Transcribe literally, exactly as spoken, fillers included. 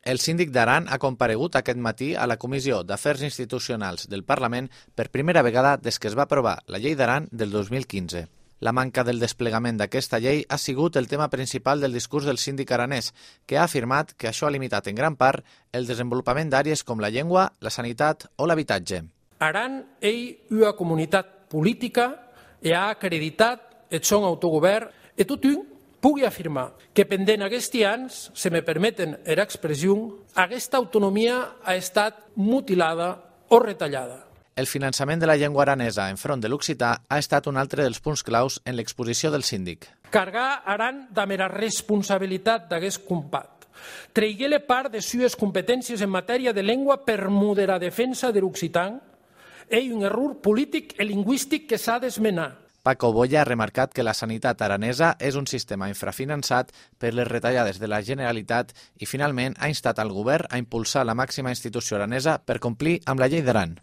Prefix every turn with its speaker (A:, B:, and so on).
A: El síndic d'Aran ha comparegut aquest matí a la Comissió d'Afers Institucionals del Parlament per primera vegada des que es va aprovar la Llei d'Aran del dos mil quinze. La manca del desplegament d'aquesta llei ha sigut el tema principal del discurs del síndic aranès, que ha afirmat que això ha limitat en gran part el desenvolupament d'àrees com la llengua, la sanitat o l'habitatge.
B: Aran ei una comunitat política e ha acreditat el son autogovern e tothom pugui afirmar que pendent aquests anys, se me permeten era expressió, aquesta autonomia ha estat mutilada o retallada.
A: El finançament de la llengua aranesa enfront de l'occità ha estat un altre dels punts claus en l'exposició del síndic.
B: Cargar Aran de mera responsabilitat d'aquest combat. Treiguer-le part de sues competències en matèria de llengua per moderar defensa de l'occità és un error polític i lingüístic que s'ha d'esmenar.
A: Paco Boya ha remarcat que la sanitat aranesa és un sistema infrafinançat per les retallades de la Generalitat i finalment ha instat al govern a impulsar la màxima institució aranesa per complir amb la llei d'Aran.